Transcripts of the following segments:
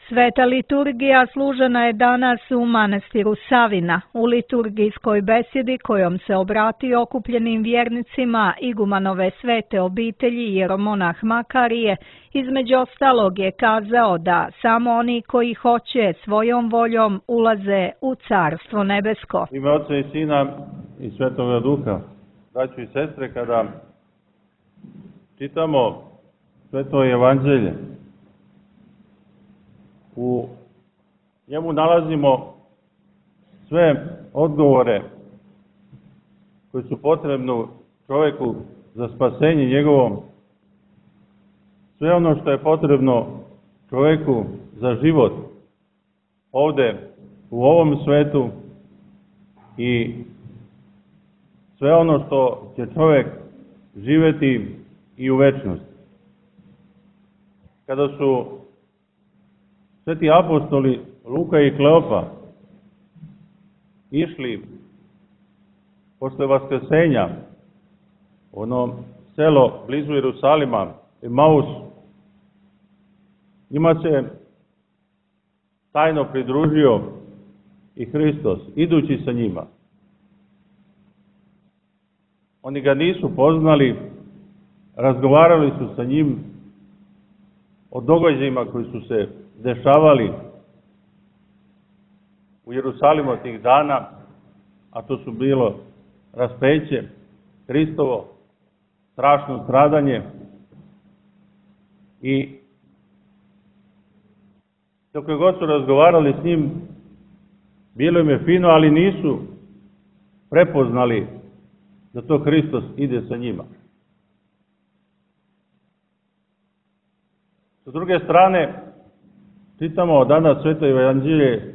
Sveta liturgija služena je danas u manastiru Savina, u liturgijskoj besjedi kojom se obratio okupljenim vjernicima igumanove svete obitelji jeromonah Makarije, između ostalog je kazao da samo oni koji hoće svojom voljom ulaze u Carstvo nebesko. Ime Oca i Sina i Svetoga Duha, braćo i sestre, kada čitamo Sveto evanđelje, u njemu nalazimo sve odgovore koji su potrebni čovjeku za spasenje njegovo, sve ono što je potrebno čovjeku za život ovde u ovom svetu i sve ono što će čovjek živjeti i u večnosti. Kada su sveti apostoli Luka i Kleopa išli posle vaskrsenja u ono selo blizu Jerusalima, Emaus, njima se tajno pridružio i Hristos, idući sa njima. Oni ga nisu poznali, razgovarali su sa njim o događajima koji su se dešavali u Jerusalimu tih dana, a to su bilo raspeće Hristovo, strašno stradanje, i dok god su razgovarali s njim, bilo im je fino, ali nisu prepoznali da to Hristos ide sa njima. S druge strane, čitamo danas Sveto evanđelje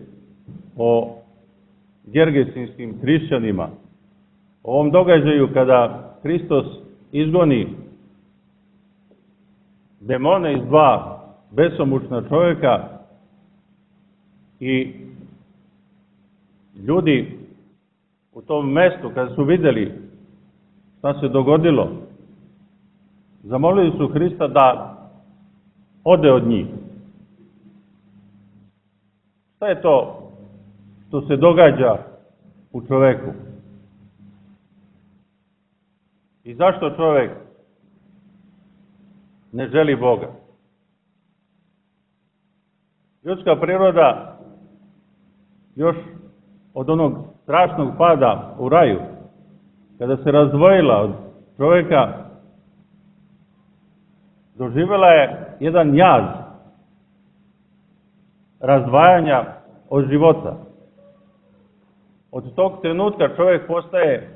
o gergesinskim hrišćanima, o ovom događaju kada Hristos izgoni demone iz dva besomučna čovjeka i ljudi u tom mestu, kada su vidjeli šta se dogodilo, zamolili su Hrista da ode od njih. Šta je to što se događa u čoveku? I zašto čovjek ne želi Boga? Ljudska priroda još od onog strašnog pada u raju, kada se razdvojila od čovjeka, doživjela je jedan jaz razdvajanja od života. Od tog trenutka čovjek postaje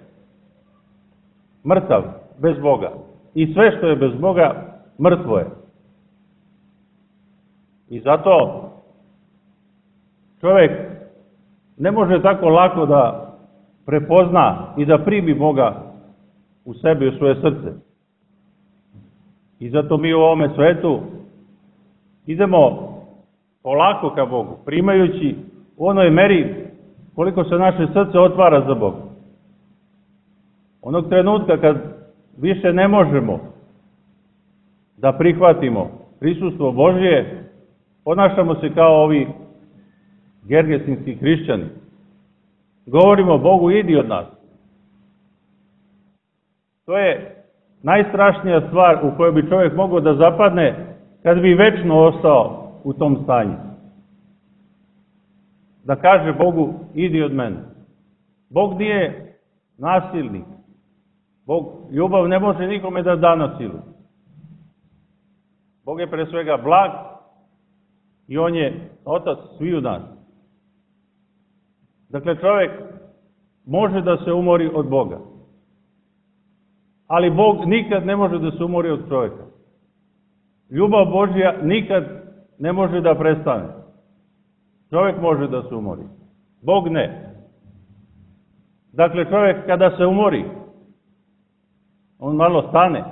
mrtav bez Boga. I sve što je bez Boga, mrtvo je. I zato čovjek ne može tako lako da prepozna i da primi Boga u sebi i u svoje srce. I zato mi u ovome svetu idemo polako ka Bogu, primajući u onoj meri koliko se naše srce otvara za Boga. Onog trenutka kad više ne možemo da prihvatimo prisustvo Božje, ponašamo se kao ovi gergesinski hrišćani. Govorimo Bogu, idi od nas. To je najstrašnija stvar u kojoj bi čovjek mogao da zapadne kad bi večno ostao u tom stanju. Da kaže Bogu, idi od mene. Bog nije nasilnik. Ljubav ne može nikome da da na silu. Bog je pre svega blag i on je otac sviju nas. Dakle, čovjek može da se umori od Boga. Ali Bog nikad ne može da se umori od čovjeka. Ljubav Božja nikad ne može da prestane. Čovjek može da se umori. Bog ne. Dakle, čovjek kada se umori, on malo stane.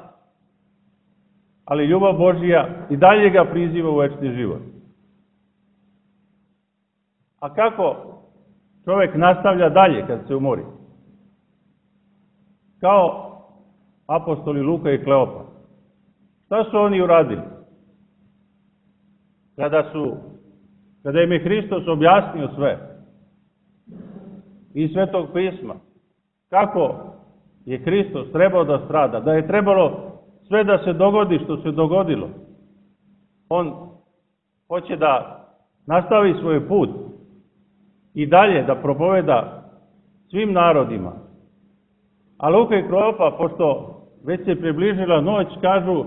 Ali ljubav Božja i dalje ga priziva u večni život. A kako čovjek nastavlja dalje kad se umori? Kao apostoli Luka i Kleopa. Šta su oni uradili? Kada su kada im je Hristos objasnio sve iz Svetog pisma, kako je Hristos trebao da strada, da je trebalo sve da se dogodi što se dogodilo. On hoće da nastavi svoj put i dalje da propoveda svim narodima. A Luka i Klopa, pošto već se približila noć, kažu,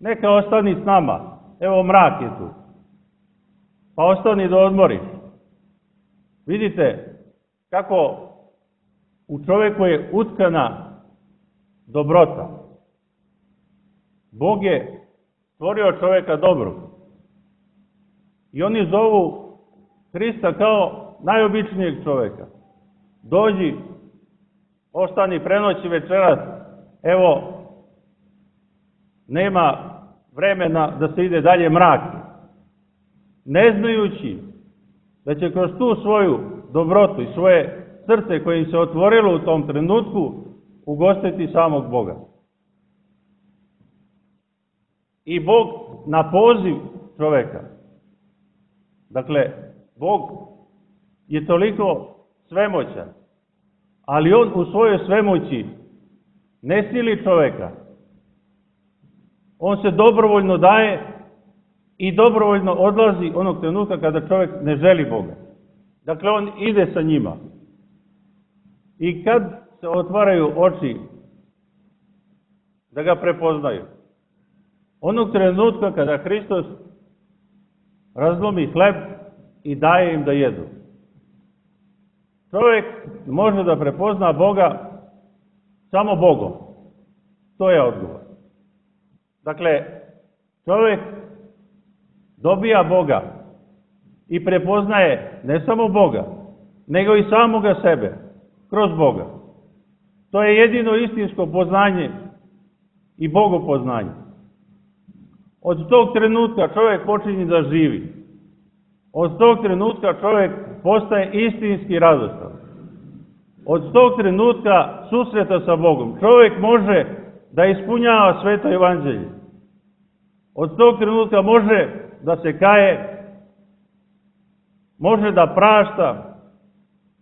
neka ostani s nama, evo mrak je tu, pa ostani da odmoriš. Vidite kako u čoveku je utkana dobrota. Bog je stvorio čoveka dobro. I oni zovu Hrista kao najobičnijeg čoveka. Dođi, ostani prenoći večeras, evo, nema vremena da se ide dalje mrak. Ne znajući da će kroz tu svoju dobrotu i svoje srce koje im se otvorilo u tom trenutku ugostiti samog Boga. I Bog na poziv čoveka. Dakle, Bog je toliko svemoćan, ali on u svojoj svemoći ne sili čoveka. On se dobrovoljno daje i dobrovoljno odlazi onog trenutka kada čovjek ne želi Boga. Dakle, on ide sa njima. I kad se otvaraju oči da ga prepoznaju, onog trenutka kada Hristos razlomi hleb i daje im da jedu. Čovjek može da prepozna Boga samo Bogom. To je odgovor. Dakle, čovjek dobija Boga i prepoznaje ne samo Boga, nego i samoga sebe kroz Boga. To je jedino istinsko poznanje i bogopoznanje. Od tog trenutka čovjek počinje da živi. Od tog trenutka čovjek postaje istinski radostan. Od tog trenutka susreta sa Bogom čovjek može da ispunjava sveto evanđelje. Od tog trenutka može da se kaje, može da prašta,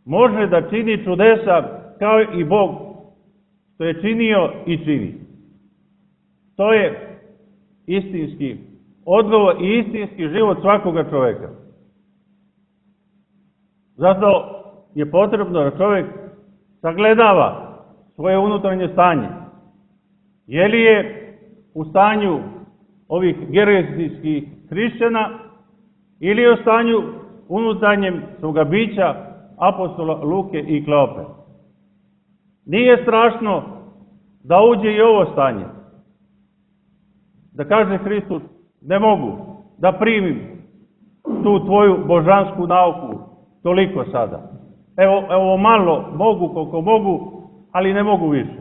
može da čini čudesa kao i Bog što je činio i čini. To je istinski odgovor i istinski život svakoga čovjeka. Zato je potrebno da čovjek sagledava svoje unutarnje stanje. Je li je u stanju ovih gerizijskih hrišćana ili je u stanju unutarnjem svoga bića apostola Luke i Klope. Nije strašno da uđe i ovo stanje. Da kaže Hristos, ne mogu da primim tu tvoju božansku nauku toliko sada. Evo malo mogu koliko mogu, ali ne mogu više.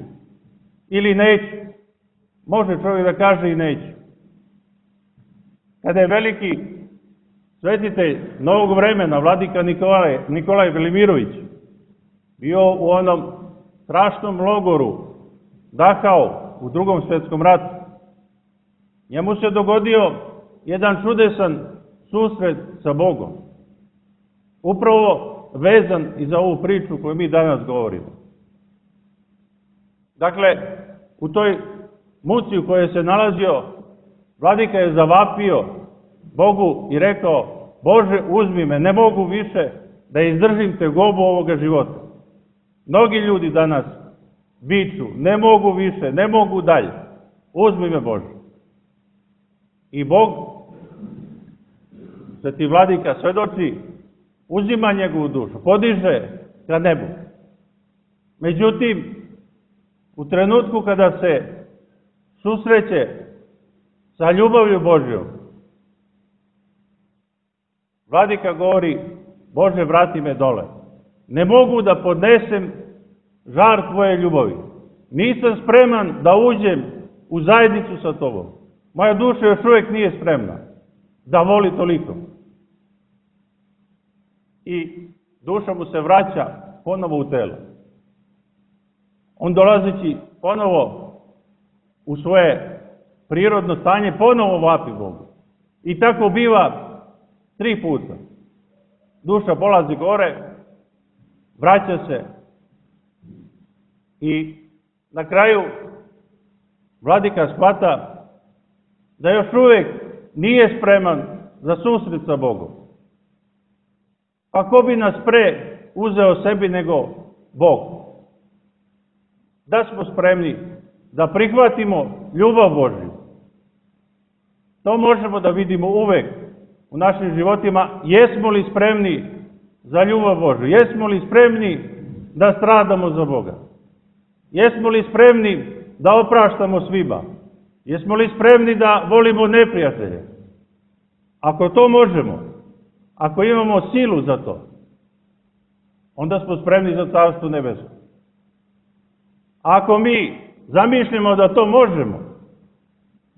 Ili neću. Može čovjek da kaže i neću. Kada je veliki svetitelj novog vremena, vladika Nikolaj Velimirović, bio u onom strašnom logoru Dachau u Drugom svjetskom ratu, njemu se dogodio jedan čudesan susret sa Bogom. Upravo vezan i za ovu priču koju mi danas govorimo. Dakle, u toj muci u kojoj se nalazio, vladika je zavapio Bogu i rekao, Bože, uzmi me, ne mogu više da izdržim tegobu ovoga života. Mnogi ljudi danas viču, ne mogu više, ne mogu dalje. Uzmi me, Bože. I Bog, sveti vladika svedoči, uzima njegovu dušu, podiže ka nebu. Međutim, u trenutku kada se susreće sa ljubavlju Božjom, vladika govori, Bože, vrati me dole. Ne mogu da podnesem žar tvoje ljubavi. Nisam spreman da uđem u zajednicu sa tobom. Moja duša još uvijek nije spremna da voli toliko. I duša mu se vraća ponovo u telo. On dolazeći ponovo u svoje prirodno stanje, ponovo vapi Bogu. I tako biva 3 puta. duša polazi gore, vraća se i na kraju vladika shvata da još uvijek nije spreman za susret sa Bogom. Pa ko bi nas pre uzeo sebi nego Bog? Da smo spremni da prihvatimo ljubav Božju. To možemo da vidimo uvek u našim životima. Jesmo li spremni za ljubav Božju? Jesmo li spremni da stradamo za Boga? Jesmo li spremni da opraštamo svima? Jesmo li spremni da volimo neprijatelje? Ako to možemo, ako imamo silu za to, onda smo spremni za Carstvo nebesko. Ako mi zamišljamo da to možemo,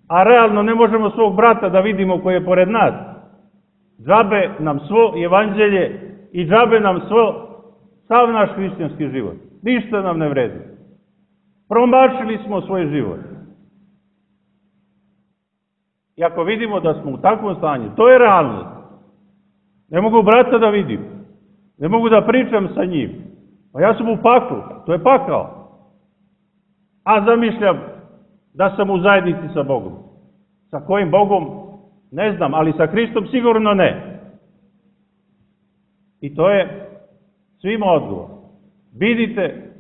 a realno ne možemo svog brata da vidimo koji je pored nas, džabe nam svo evanđelje i džabe nam sav naš hrišćanski život. Ništa nam ne vredi. Promašili smo svoj život. I ako vidimo da smo u takvom stanju, to je realnost. Ne mogu brata da vidim. Ne mogu da pričam sa njim. Pa ja sam u paklu. To je pakao. A zamišljam da sam u zajednici sa Bogom. Sa kojim Bogom? Ne znam, ali sa Hristom sigurno ne. I to je svima odgovor. Vidite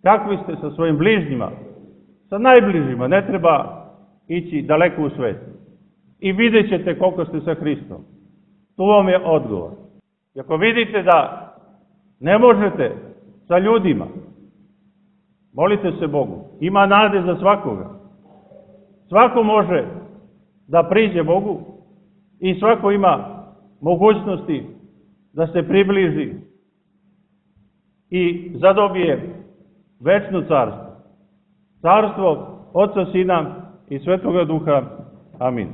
kakvi ste sa svojim bližnjima, sa najbližima, ne treba ići daleko u svet. I vidjet ćete koliko ste sa Hristom. Tu vam je odgovor. I ako vidite da ne možete sa ljudima, molite se Bogu. Ima nade za svakoga. Svako može da priđe Bogu i svako ima mogućnosti da se približi i zadobije večno carstvo. Carstvo Oca, Sina i Svetoga Duha. Amin.